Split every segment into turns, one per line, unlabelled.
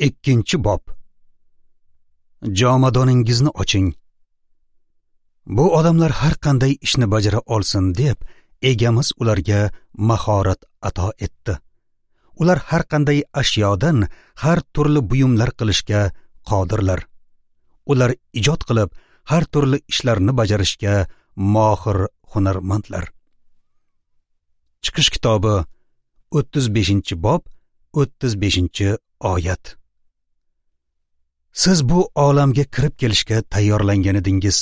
2-bob. Jomadoningizni oching. Bu odamlar har qanday ishni bajara olsin deb egamiz ularga mahorat ato etdi. Ular har qanday ashyodan har turli buyumlar qilishga qodirlar. Ular ijod qilib har turli ishlarni bajarishga mohir hunarmandlar. Chiqish kitobi 35-bob 35-oyat. Siz bu olamga kirib kelishga tayyorlangan edingiz.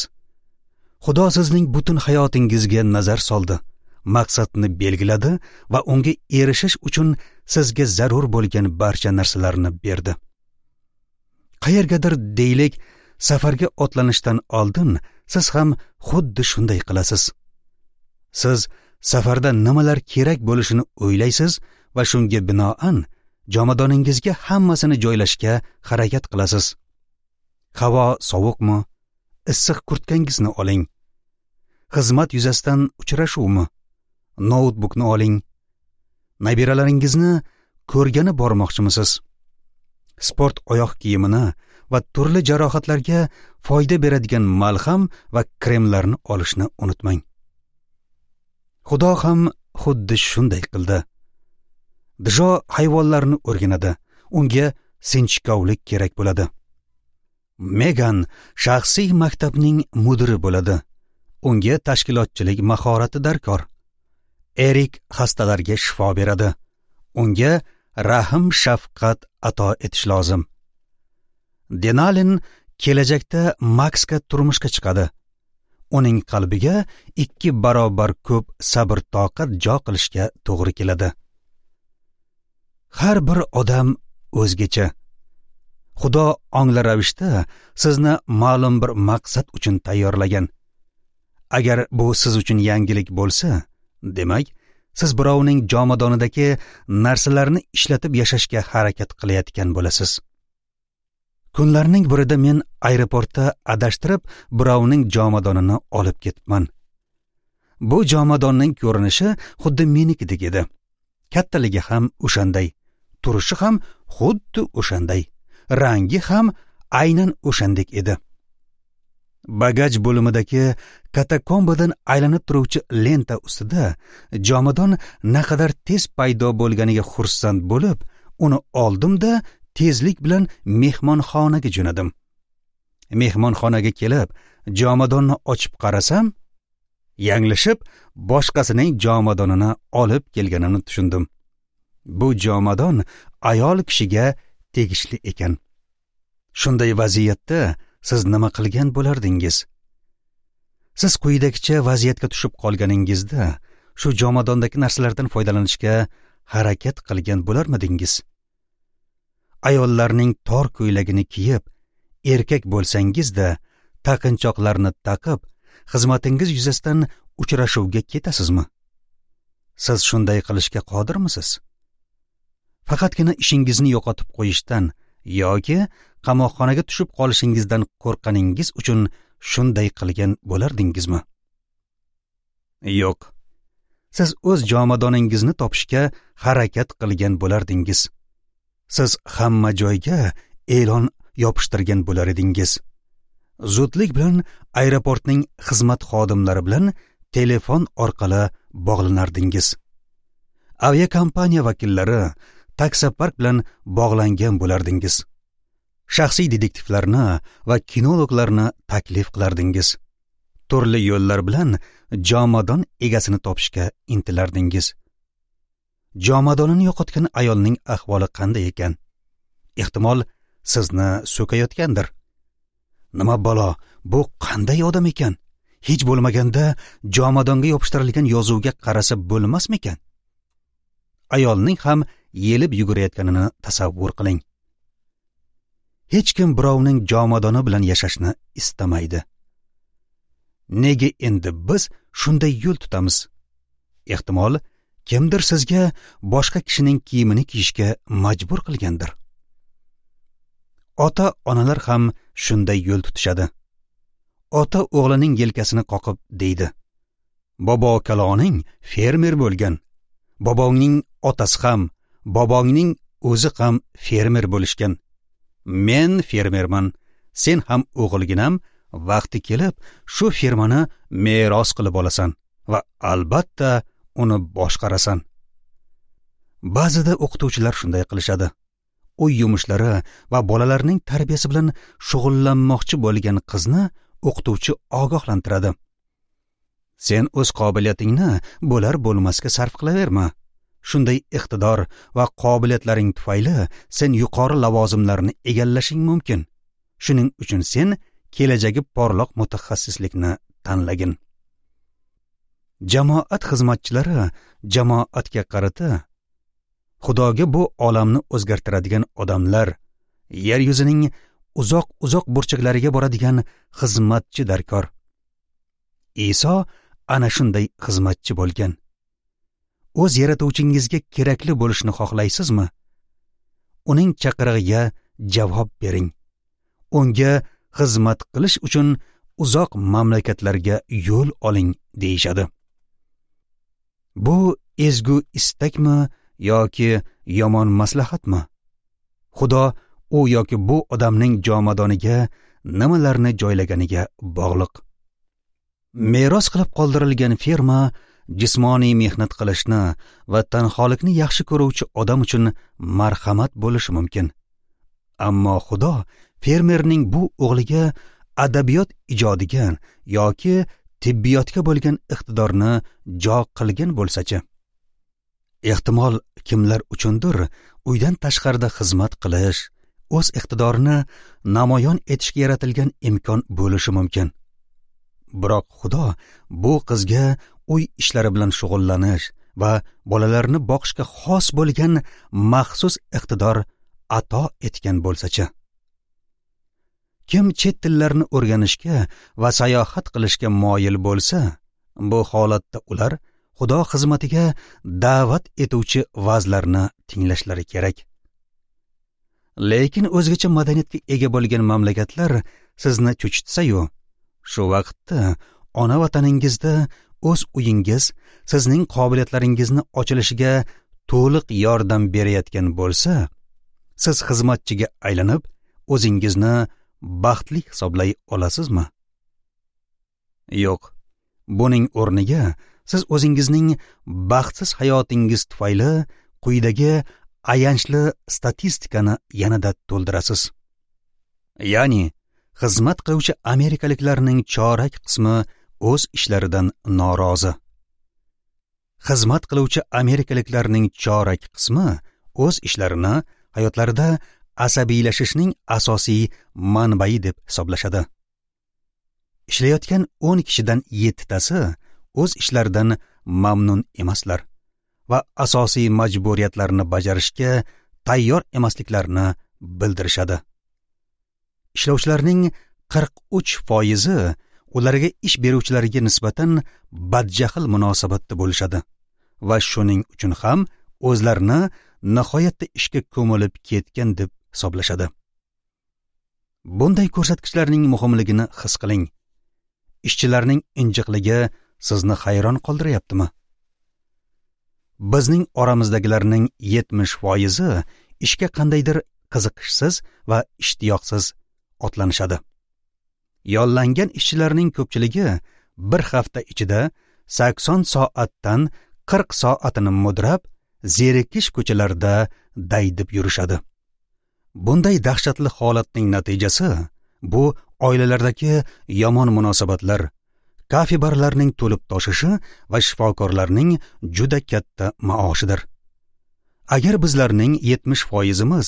Xudo sizning butun hayotingizga nazar soldi, maqsadni belgiladi va unga erishish uchun sizga zarur bo'lgan barcha narsalarni berdi. Qayergadir deylik, safarga otlanishdan oldin siz ham xuddi shunday qilasiz. Siz safarda nimalar kerak bo'lishini o'ylaysiz va shunga binoan jomadoningizga hammasini joylashga harakat qilasiz. Havo sovuqmi? Issiq kurtkangizni oling. Xizmat yuzasidan uchrashuvmi? Noutbukni oling. Nabiralaringizni ko'rgani bormoqchimisiz? Sport oyoq kiyimini va turli jarohatlarga foyda beradigan malham va kremlarni olishni unutmang. Xudo ham xuddi shunday qildi. Djo hayvonlarni o'rganadi. Unga sinchkovlik kerak bo'ladi. Megan shaxsiy maktabning mudiri bo'ladi. Unga tashkilotchilik mahorati darkor. Erik xastalarga shifo beradi. Unga rahm shafqat ato etish lozim. Denalin kelajakda Maksga turmushga chiqadi. Uning qalbiga 2 barobar ko'p sabr toqat jo qilishga to'g'ri keladi. Har bir odam o'zgacha. Xudo ongli ravishda sizni ma'lum bir maqsad uchun tayyorlagan. Agar bu siz uchun yangilik bo'lsa, demak, siz birovning jomadonidagi narsalarni ishlatib yashashga harakat qilayotgan bo'lasiz. Kunlarning birida men aeroportda adashtirib birovning jomadonini olib ketibman. Bu jomadonning ko'rinishi xuddi menikidek edi. Kattaligi ham o'shanday, turishi ham xuddi o'shanday, rangi ham aynan o'shandek edi. Bagaj bo'limidagi katakombadan aylanib turuvchi lenta ustida jomadon naqadar tez paydo bo'lganiga xursand bo'lib, uni oldim-da tezlik bilan mehmonxonaga jo'nadim. Mehmonxonaga kelib, jomadonni ochib qarasam, yanglishib boshqasining jomadonini olib kelganimni tushundim. Bu jomadon ayol kishiga tegishli ekan. Shunday vaziyatda siz nima qilgan bo'lardingiz? Siz quyidagicha vaziyatga tushib qolganingizda shu jomadondagi narsalardan foydalanishga harakat qilgan bo'larmidingiz? Ayollarning tor ko'ylagini kiyib, erkak bo'lsangiz-da, taqinchoqlarni taqib, xizmatingiz yuzasidan uchrashuvga ketasizmi? Siz shunday qilishga qodirmisiz? Faqatgina ishingizni yo'qotib qo'yishdan yoki qamoqxonaga tushib qolishingizdan qo'rqqaningiz uchun shunday qilgan bo'lardingizmi? Yo'q. Siz o'z jomadoningizni topishga harakat qilgan bo'lardingiz. Siz hamma joyga e'lon yopishtirgan bo'lar edingiz. Zudlik bilan aeroportning xizmat xodimlari bilan telefon orqali bog'lanardingiz. Aviakompaniya vakillari, taksopark bilan bog'langan bo'lardingiz. Shaxsiy detektivlarni va kinologlarni taklif qilardingiz. Turli yo'llar bilan jomadon egasini topishga intilardingiz. Jomadonini yo'qotgan ayolning ahvoli qanday ekan? Ehtimol sizni so'kayotgandir. Nima balo, bu qanday odam ekan? Hech bo'lmaganda jomadonga yopishtirilgan yozuvga qarasa bo'lmasmikan? Ayolning ham yelib yugurayotganini tasavvur qiling. Hech kim birovning jomadoni bilan yashashni istamaydi. Nega endi biz shunday yo'l tutamiz? Ehtimol kimdir sizga boshqa kishining kiyimini kiyishga majbur qilgandir. Ota-onalar ham shunday yo'l tutishadi. Ota o'g'lining yelkasini qoqib deydi: "Bobo kaloning fermer bo'lgan. Bobongning otasi ham, bobongning o'zi ham fermer bo'lishgan. Men fermerman, sen ham o'g'ilginam vaqti kelib shu fermani meros qilib olasan va albatta uni boshqarasan. Ba'zida o'qituvchilar shunday qilishadi. Uy yumushlari va bolalarning tarbiyasi bilan shug'ullanmoqchi bo'lgan qizni o'qituvchi ogohlantiradi. Sen o'z qobiliyatingni bo'lar bo'lmasga sarf qilaverma. Shunday iqtidor va qobiliyatlaring tufayli sen yuqori lavozimlarni egallashing mumkin. Shuning uchun sen kelajagi porloq mutaxassislikni tanlagin. Jamoat xizmatchilari jamoatga qarata Xudoga bu olamni o'zgartiradigan odamlar, yer yuzining uzoq-uzoq burchaklariga boradigan xizmatchi darkor. Iso ana shunday xizmatchi bo'lgan. O'z yaratuvchingizga kerakli bo'lishni xohlaysizmi? Uning chaqirig'iga javob bering. Unga xizmat qilish uchun uzoq mamlakatlarga yo'l oling deyishadi. Bu ezgu istakmi yoki yomon maslahatmi? Xudo u yoki bu odamning jomadoniga nimalarni joylaganiga bog'liq. Meros qilib qoldirilgan ferma jismoniy mehnat qilishni va tanholikni yaxshi ko'ruvchi odam uchun marhamat bo'lishi mumkin. Ammo Xudo fermerning bu o'g'liga adabiyot ijodiga yoki tibbiyotga bo'lgan iqtidorni jo qilgan bo'lsa-chi? Ehtimol kimlar uchundir uydan tashqarida xizmat qilish, o'z iqtidorini namoyon etishga yaratilgan imkon bo'lishi mumkin. Biroq Xudo bu qizga uy ishlari bilan shug'ullanish va bolalarni boqishga xos bo'lgan maxsus iqtidor ato etgan bo'lsa-chi? Kim chet tillarni o'rganishga va sayohat qilishga moyil bo'lsa, bu holatda ular Xudo xizmatiga da'vat etuvchi va'zlarni tinglashlari kerak. Lekin o'zgacha madaniyatga ega bo'lgan mamlakatlar sizni cho'chitsa-yu, shu vaqtda ona vataningizda o'z uyingiz sizning qobiliyatlaringizni ochilishiga to'liq yordam berayotgan bo'lsa, siz xizmatchiga aylanib, o'zingizni baxtli hisoblay olasizmi? Yo'q. Buning o'rniga siz o'zingizning baxtsiz hayotingiz tufayli quyidagi ayanchli statistikani yanada to'ldirasiz. Ya'ni xizmat qiluvchi amerikaliklarning chorak qismi o'z ishlaridan norozi. Xizmat qiluvchi amerikaliklarning chorak qismi o'z ishlarini hayotlarida asabiylashishning asosiy manbai deb hisoblashadi. Ishlayotgan 10 kishidan 7 tasi o'z ishlaridan mamnun emaslar va asosiy majburiyatlarni bajarishga tayyor emasliklarini bildirishadi. Ishlovchilarning 43% ularga ish beruvchilarga nisbatan badjahl munosabatda bo'lishadi va shuning uchun ham o'zlarini nihoyatda ishga ko'milib ketgan deb hisoblashadi. Bunday ko'rsatkichlarning muhimligini his qiling. Ishchilarning injiqligi sizni hayron qoldiryaptimi? Bizning oramizdagilarning 70% ishga qandaydir qiziqishsiz va ishtiyoqsiz otlanishadi. Yollangan ishchilarning ko'pchiligi bir hafta ichida 80 soatdan 40 soatini mudrab, zerikish ko'chalarida daydib yurishadi. Bunday dahshatli holatning natijasi bu oilalardagi yomon munosabatlar, kafe barlarning to'lib toshishi va shifokorlarning juda katta maoshidir. Agar bizlarning 70%imiz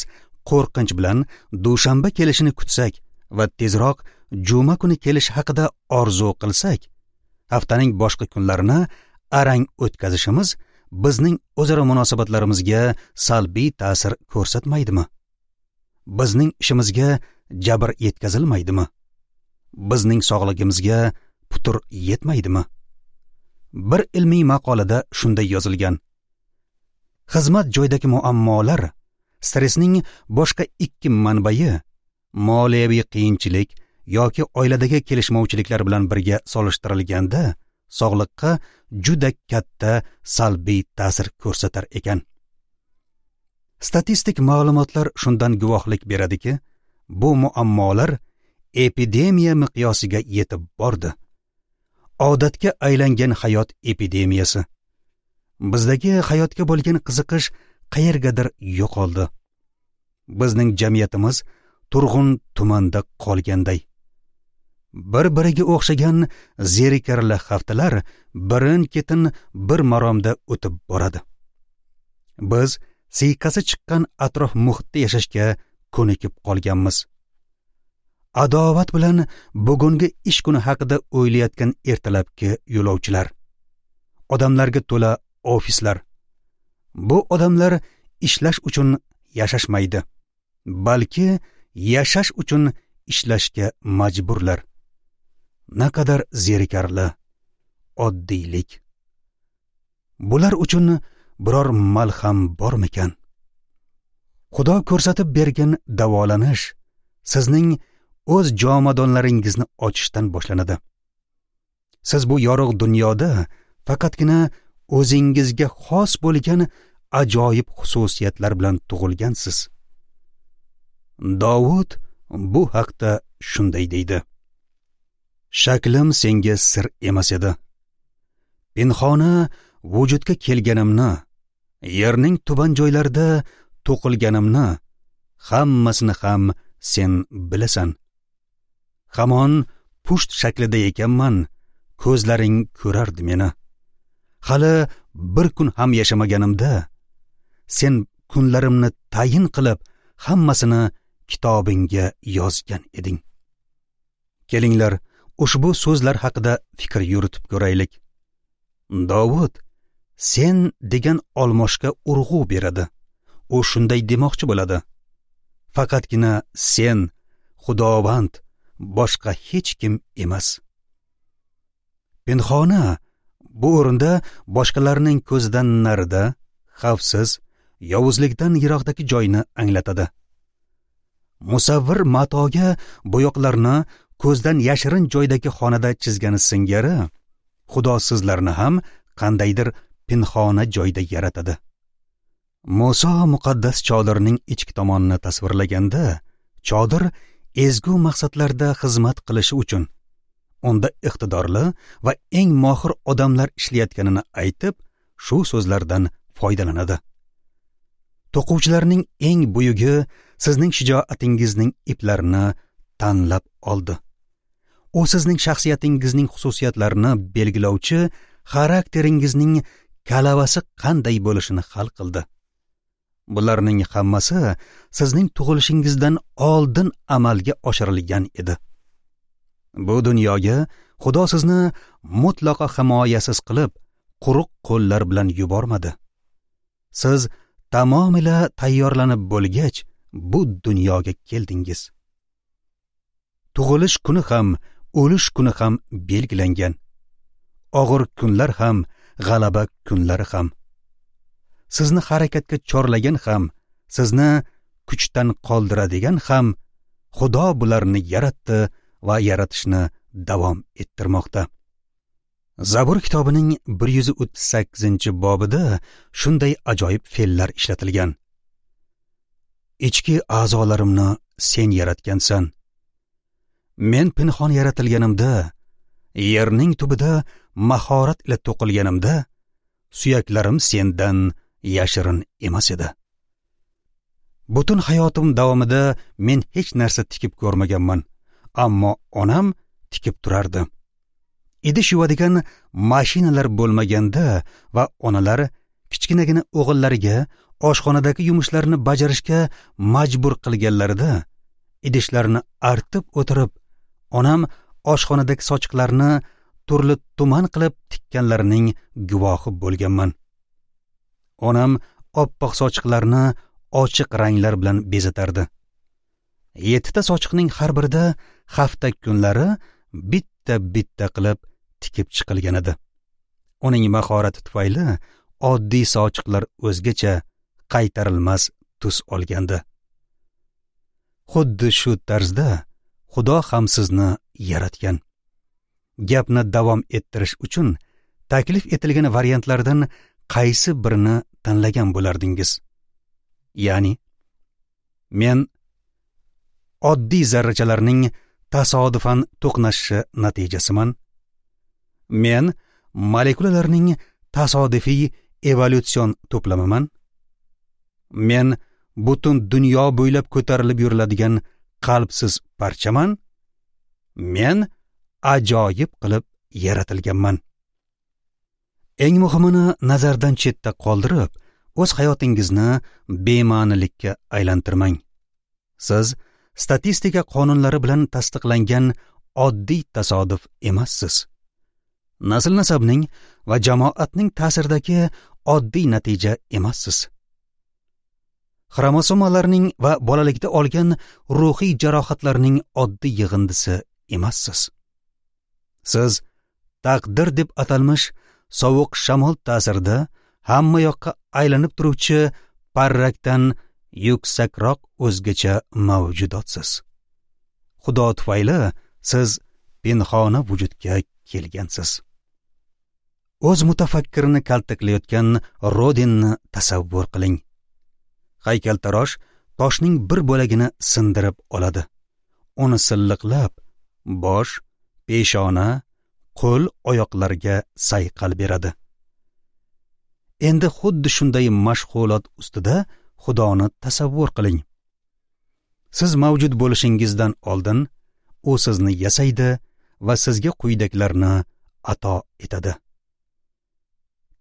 qo'rqinch bilan dushanba kelishini kutsak va tezroq juma kuni kelishi haqida orzu qilsak, haftaning boshqa kunlarini arang o'tkazishimiz bizning o'zaro munosabatlarimizga salbiy ta'sir ko'rsatmaydimi? Bizning ishimizga jabr yetkazilmaydimi? Bizning sog'ligimizga putur yetmaydimi? Bir ilmiy maqolada shunday yozilgan: xizmat joyidagi muammolar stressning boshqa ikki manbai, moliyaviy qiyinchilik yoki oiladagi kelishmovchiliklar bilan birga solishtirilganda sog'liqqa juda katta salbiy ta'sir ko'rsatar ekan. Statistik ma'lumotlar shundan guvohlik beradiki, bu muammolar epidemiya miqyosiga yetib bordi. Odatga aylangan hayot epidemiyasi. Bizdagi hayotga bo'lgan qiziqish qayergadir yo'qoldi. Bizning jamiyatimiz turg'un tumanda qolganday. Bir-biriga o'xshagan zerikarli haftalar birin-ketin bir maromda o'tib boradi. Biz siyqasi chiqqan atrof muhitda yashashga ko'nikib qolganmiz. Adovat bilan bugungi ish kuni haqida o'ylayotgan ertalabki yo'lovchilar, odamlarga to'la ofislar. Bu odamlar ishlash uchun yashashmaydi, balki yashash uchun ishlashga majburlar. Naqadar zerikarli oddiylik. Bular uchun biror malham bormikan? Xudo ko'rsatib bergan davolanish sizning o'z jomadonlaringizni ochishdan boshlanadi. Siz bu yorug' dunyoda faqatgina o'zingizga xos bo'lgan ajoyib xususiyatlar bilan tug'ilgansiz. Davud bu haqda shunday deydi: Shaklim senga sir emas edi. Pinhona vujudga kelganimni, yerning tuban joylarida to'qilganimni, hammasini ham sen bilasan. Hamon pusht shaklida ekanman, ko'zlaring ko'rardi meni. Hali bir kun ham yashamaganimda, sen kunlarimni tayin qilib, hammasini kitobingga yozgan eding. Kelinglar, ushbu so'zlar haqida fikr yuritib ko'raylik. Davud sen degan olmoshga urg'u beradi. U shunday demoqchi bo'ladi: faqatgina sen, Xudovand, boshqa hech kim emas. Pinhona bu o'rinda boshqalarning ko'zidan narida, xavfsiz, yovuzlikdan yiroqdagi joyni anglatadi. Musavvir matoga bo'yoqlarni ko'zdan yashirin joydagi xonada chizgani singari, Xudo sizlarni ham qandaydir pinhona joyda yaratadi. Muso muqaddas chodirning ichki tomonini tasvirlaganda, chodir ezgu maqsadlarda xizmat qilishi uchun unda iqtidorli va eng mohir odamlar ishlayotganini aytib, shu so'zlardan foydalanadi. To'quvchilarning eng buyugi sizning shijoatingizning iplarini tanlab oldi. U sizning shaxsiyatingizning xususiyatlarini belgilovchi xarakteringizning kalavasi qanday bo'lishini hal qildi. Bularning hammasi sizning tug'ilishingizdan oldin amalga oshirilgan edi. Bu dunyoga Xudo sizni mutlaqo himoyasiz qilib, quruq qo'llar bilan yubormadi. Siz tamomila tayyorlanib bo'lgach, bu dunyoga keldingiz. Tug'ilish kuni ham, o'lish kuni ham belgilangan. Og'ir kunlar ham, g'alaba kunlari ham. Sizni harakatga chorlagan ham, sizni kuchdan qoldiradigan ham Xudo bularni yaratdi va yaratishni davom ettirmoqda. Zabur kitobining 138-bobida shunday ajoyib fe'llar ishlatilgan. Ichki a'zolarimni sen yaratgansan. Men pinhon yaratilganimda, yerning tubida mahorat ila to'qilganimda, suyaklarim sendan yashirin emas edi. Butun hayotim davomida men hech narsa tikib ko'rmaganman, ammo onam tikib turardi. Idish yuvadigan mashinalar bo'lmaganda va onalar kichkinagina o'g'illariga oshxonadagi yumushlarni bajarishga majbur qilganlarida, idishlarni artib o'tirib, onam oshxonadagi sochiqlarni turli tuman qilib tikkanlarining guvohi bo'lganman. Onam oppoq sochiqlarni ochiq ranglar bilan bezatardi. 7 ta sochiqning har birida hafta kunlari bitta-bitta qilib tikib chiqilgan edi. Uning mahorati tufayli oddiy sochiqlar o'zgacha qaytarilmas tus olgandi. Xuddi shu tarzda Xudo ham sizni yaratgan. Gapni davom ettirish uchun taklif etilgan variantlardan qaysi birini tanlagan bo'lardingiz? Ya'ni men oddiy zarrachalarning tasodifan to'qnashishi natijasiman. Men molekulalarning tasodifiy evolyutsion to'plamiman. Men butun dunyo bo'ylab ko'tarilib yuriladigan qalbsiz parchaman. Men ajoyib qilib yaratilganman. Eng muhimini nazardan chetda qoldirib, o'z hayotingizni bema'nilikka aylantirmang. Siz statistika qonunlari bilan tasdiqlangan oddiy tasodif emassiz. Nasl-nasabning va jamoatning ta'siridagi oddiy natija emassiz. Xromosomalarning va bolalikda olgan ruhiy jarohatlarning oddiy yig'indisi emassiz. Siz taqdir deb atalmish sovuq shamol ta'sirida hamma yoqqa aylanib turuvchi parrakdan yuksakroq o'zgacha mavjudotsiz. Xudo tufayli siz pinhona vujudga kelgansiz. O'z mutafakkirini kaltaklayotgan Rodinni tasavvur qiling. Haykaltarosh toshning bir bo'lagini sindirib oladi. Uni silliqlab, bosh, peshona, qo'l, oyoqlarga sayqal beradi. Endi xuddi shunday mashg'ulot ustida Xudoni tasavvur qiling. Siz mavjud bo'lishingizdan oldin u sizni yasaydi va sizga quyidagilarni ato etadi.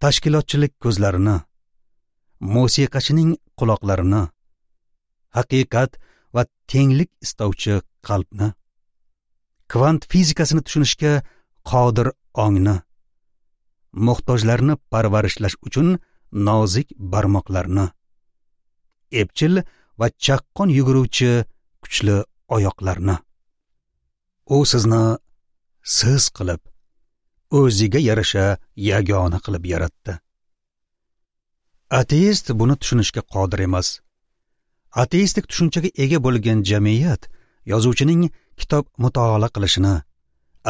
Tashkilotchilik ko'zlarini, musiqachining quloqlarini, haqiqat va tenglik istovchi qalbni, kvant fizikasini tushunishga qodir ongni, muhtojlarni parvarishlash uchun nozik barmoqlarni, epchil va chaqqon yuguruvchi kuchli oyoqlarni. U sizni siz qilib, o'ziga yarasha yagona qilib yaratdi. Ateist buni tushunishga qodir emas. Ateistik tushunchaga ega bo'lgan jamiyat yozuvchining kitob mutolaa qilishini,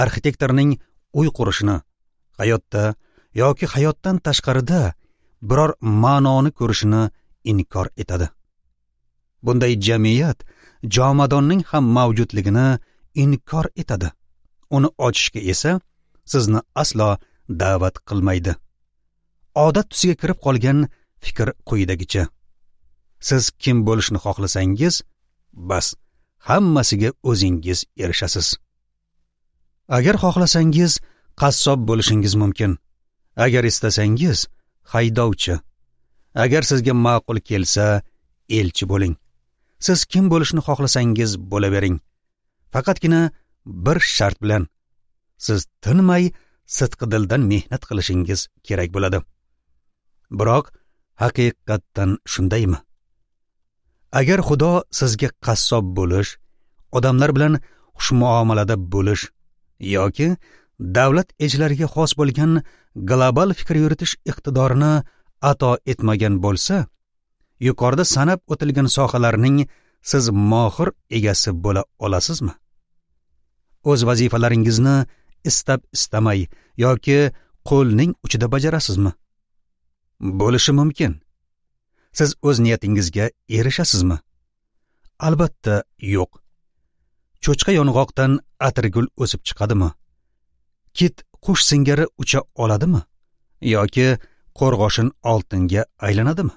arxitektorning uy qurishini, hayotda yoki hayotdan tashqarida biror ma'noni ko'rishini inkor etadi. Bunday jamiyat jomadonning ham mavjudligini inkor etadi. Uni ochishga esa sizni aslo da'vat qilmaydi. Odat tusiga kirib qolgan fikr quyidagicha: siz kim bo'lishni xohlasangiz, bas, hammasiga o'zingiz erishasiz. Agar xohlasangiz, qassob bo'lishingiz mumkin. Agar istasangiz, haydovchi. Agar sizga ma'qul kelsa, elchi bo'ling. Siz kim bo'lishni xohlasangiz bo'lavering. Faqatgina bir shart bilan: siz tinmay sidqi dildan mehnat qilishingiz kerak bo'ladi. Biroq haqiqatdan shundaymi? Agar Xudo sizga qassob bo'lish, odamlar bilan xushmuomalada bo'lish yoki davlat elchilariga xos bo'lgan global fikr yuritish iqtidorini ato etmagan bo'lsa, yuqorida sanab o'tilgan sohalarning siz mohir egasi bo'la olasizmi? O'z vazifalaringizni istab istamay yoki qo'lning uchida bajarasizmi? Bo'lishi mumkin. Siz o'z niyatingizga erishasizmi? Albatta yo'q. Cho'chqa yong'oqdan atirgul o'sib chiqadimi? Kit qush singari ucha oladimi? Yoki qo'rg'oshin oltinga aylanadimi?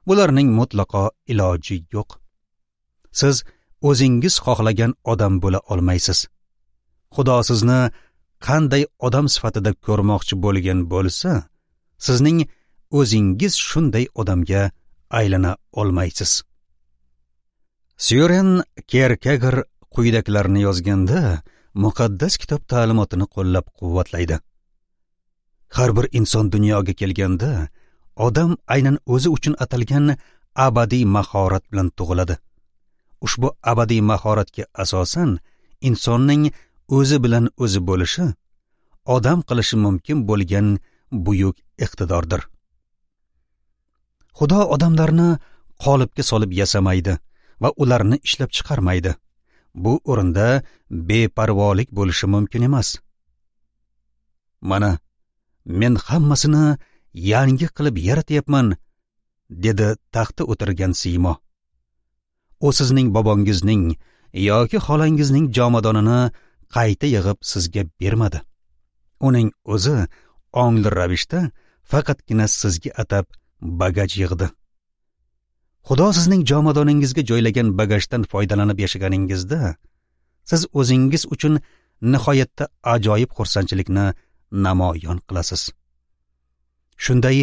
Bularning mutlaqo iloji yo'q. Siz o'zingiz xohlagan odam bo'la olmaysiz. Xudo sizni qanday odam sifatida ko'rmoqchi bo'lgan bo'lsa, sizning o'zingiz shunday odamga aylana olmaysiz. Søren Kierkegaard quyidagilarni yozganda muqaddas kitob ta'limotini qo'llab-quvvatlaydi. Har bir inson dunyoga kelganda odam aynan o'zi uchun atalgan abadiy mahorat bilan tug'iladi. Ushbu abadiy mahoratga asosan insonning o'zi bilan o'zi bo'lishi, odam qilishi mumkin bo'lgan buyuk iqtidordir. Xudo odamlarni qolipga solib yasamaydi va ularni ishlab chiqarmaydi. Bu o'rinda beparvolik bo'lishi mumkin emas. Mana men hammasini yangi qilib yaratyapman, dedi taxtda o'tirgan siymo. U sizning bobongizning, yoki xolangizning jomadonini qayta yig'ib sizga bermadi. Uning o'zi ongli ravishda faqatgina sizga atab bagaj yig'di. Xudo sizning jomadoningizga joylagan bagajdan foydalanib yashaganingizda, siz o'zingiz uchun nihoyatda ajoyib xursandchilikni namoyon qilasiz. Shunday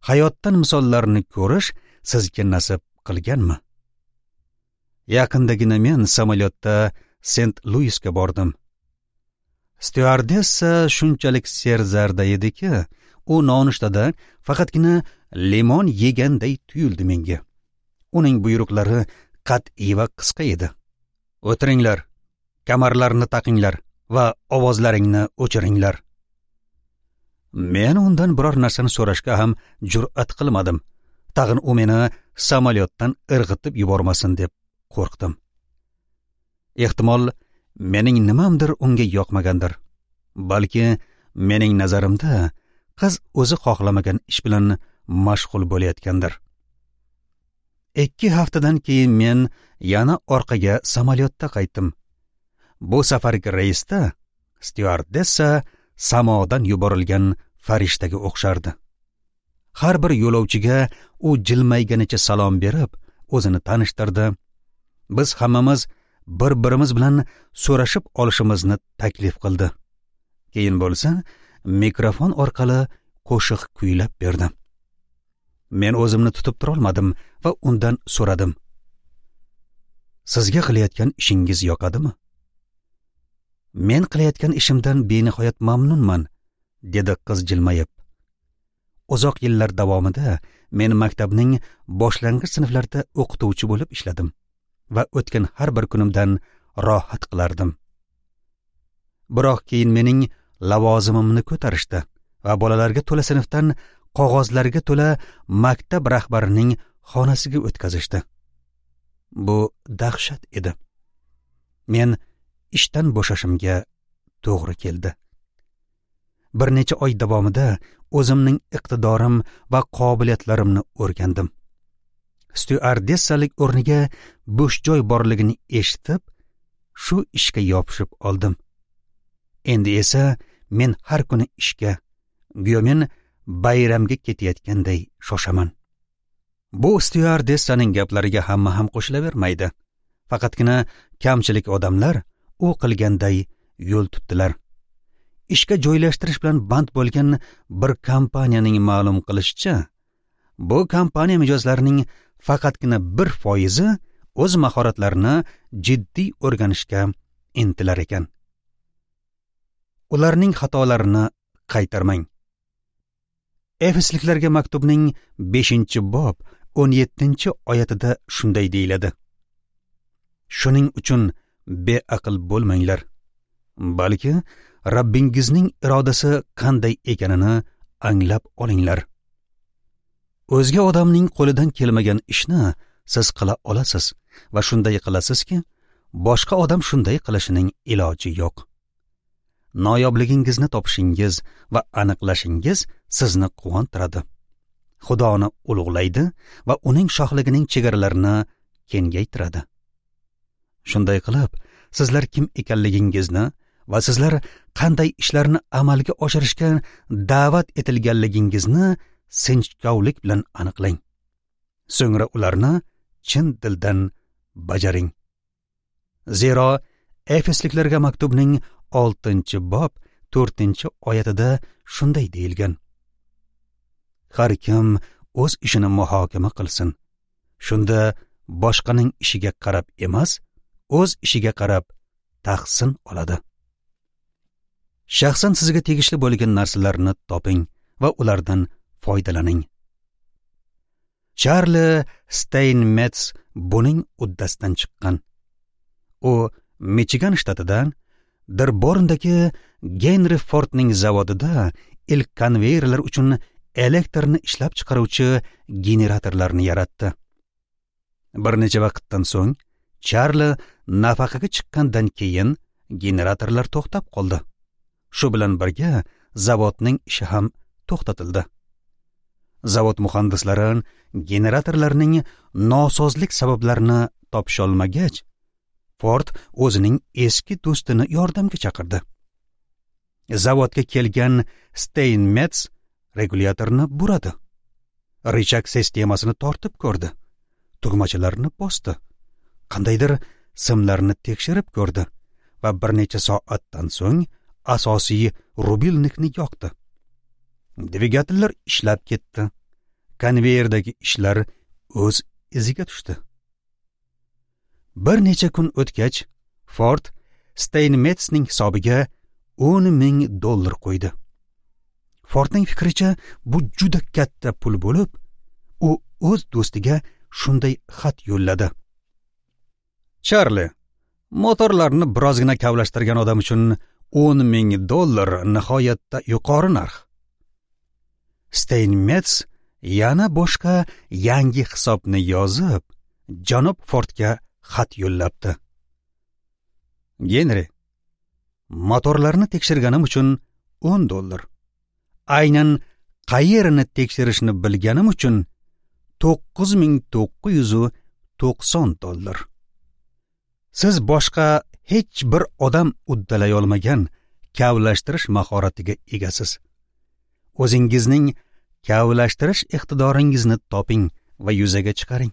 hayotdan misollarni ko'rish sizga nasib qilganmi? Yaqindagina men samolyotda Sent-Luisga bordim. Styuardessa shunchalik serzarda ediki, u nonushtada faqatgina limon yeganday tuyuldi menga. Uning buyruqlari qat'iy va qisqa edi. O'tiringlar, kamarlarni taqinglar va ovozlaringni o'chiringlar. Men undan biror narsani so'rashga ham jur'at qilmadim. Tag'in u meni samolyotdan irg'itib yubormasin deb qo'rqdim. Ehtimol mening nimamdir unga yoqmagandir. Balki mening nazarimda qiz o'zi xohlamagan ish bilan mashg'ul bo'layotgandir. 2 haftadan keyin men yana orqaga samolyotda qaytdim. Bu safargi reysda styuardessa samodan yuborilgan farishtaga o'xshardi. Har bir yo'lovchiga u jilmayganicha salom berib, o'zini tanishtirdi. Biz hammamiz bir-birimiz bilan so'rashib olishimizni taklif qildi. Keyin bo'lsa, mikrofon orqali qo'shiq kuylab berdi. Men o'zimni tutib tura olmadim va undan so'radim. Sizga qilayotgan ishingiz yoqadimi? Men qilayotgan ishimdan benihoyat mamnunman, dedi qiz jilmayib. Uzoq yillar davomida men maktabning boshlang'ich sinflarida o'qituvchi bo'lib ishladim va o'tgan har bir kunimdan rohat qilardim. Biroq keyin mening lavozimimni ko'tarishdi va bolalarga to'la sinfdan qog'ozlarga to'la maktab rahbarining xonasiga o'tkazishdi. Bu dahshat edi. Men ishdan bo'shashimga to'g'ri keldi. Bir necha oy davomida o'zimning iqtidorim va qobiliyatlarimni o'rgandim. Styuardessalik o'rniga bo'sh joy borligini eshitib, shu ishga yopishib oldim. Endi esa men har kuni ishga, go'yo men bayramga ketayotganday shoshaman. Bu styuardessaning gaplariga hamma ham qo'shilavermaydi. Faqatgina kamchilik odamlar u qilganday yo'l tutdilar. Ishga joylashtirish bilan band bo'lgan bir kompaniyaning ma'lum qilishicha, bu kompaniya mijozlarining faqatgina 1% o'z mahoratlarini jiddiy o'rganishga intilar ekan. Ularning xatolarini qaytarmang. Efesliklarga maktubning 5-bob 17-oyatida shunday deyiladi: Shuning uchun beaql bo'lmanglar, balki Rabbingizning irodasi qanday ekanini anglab olinglar. O'zga odamning qo'lidan kelmagan ishni siz qila olasiz va shunday qilasizki, boshqa odam shunday qilishining iloji yo'q. Noyobligingizni topishingiz va aniqlashingiz sizni quvontiradi. Xudoni ulug'laydi va uning shohligining chegaralarini kengaytiradi. Shunday qilib, sizlar kim ekanligingizni va sizlar qanday ishlarni amalga oshirishga da'vat etilganligingizni sinchkovlik bilan aniqlang. So'ngra ularni chin dildan bajaring. Zero Efesliklarga maktubning 6-bob 4-oyatida shunday deyilgan: Har kim o'z ishini muhokama qilsin. Shunda boshqaning ishiga qarab emas, o'z ishiga qarab tahsin oladi. Shaxsan sizga tegishli bo'lgan narsalarni toping va ulardan foydalaning. Charli Steinmetz buning uddasidan chiqqan. U Michigan shtatidan Dirborndagi Genri Fordning zavodida ilk konveyerlar uchun elektrni ishlab chiqaruvchi generatorlarni yaratdi. Bir necha vaqtdan so'ng Charli nafaqaga chiqqandan keyin generatorlar to'xtab qoldi. Shu bilan birga zavodning ishi ham to'xtatildi. Zavod muhandislari generatorlarning nosozlik sabablarini topisholmagach, Ford o'zining eski do'stini yordamga chaqirdi. Zavodga kelgan Steinmetz regulyatorni buradi. Richak sistemasini tortib ko'rdi. Tugmachalarni bosdi. Qandaydir simlarni tekshirib ko'rdi va bir necha soatdan so'ng asosiy rubilnikni yoqdi. Dvigatellar ishlab ketdi. Konveyerdagi ishlar o'z iziga tushdi. Bir necha kun o'tgach, Ford Steinmetzning hisobiga 10 000 dollar qo'ydi. Fordning fikricha, bu juda katta pul bo'lib, u o'z do'stiga shunday xat yo'lladi: "Charli, motorlarni birozgina kavlashtirgan odam uchun 10 000 dollar nihoyatda yuqori narx." Steinmetz yana boshqa yangi hisobni yozib, janob Fordga xat yo'llabdi. "Genri, motorlarni tekshirganim uchun 10 dollar. Aynan qayerini tekshirishni bilganim uchun 9990 dollar. Siz boshqa hech bir odam uddalay olmagan kavlashtirish mahoratiga egasiz. O'zingizning kavlashtirish iqtidoringizni toping va yuzaga chiqaring.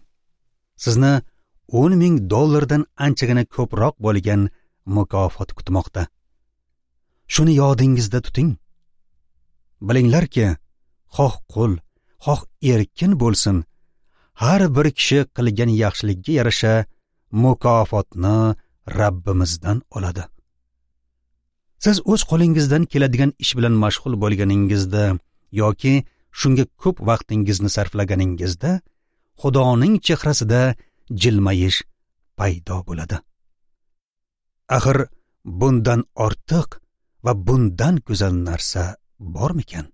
Sizni 10 000 dollardan anchagina ko'proq bo'lgan mukofot kutmoqda. Shuni yodingizda tuting. Bilinglarki, xoh qul, xoh erkin bo'lsin, har bir kishi qilgan yaxshilikka yarasha mukofotni Rabbimizdan oladi. Siz o'z qo'lingizdan keladigan ish bilan mashg'ul bo'lganingizda yoki shunga ko'p vaqtingizni sarflaganingizda Xudoning chehrasida jilmayish paydo bo'ladi. Axir bundan ortiq va bundan go'zal narsa bormikan?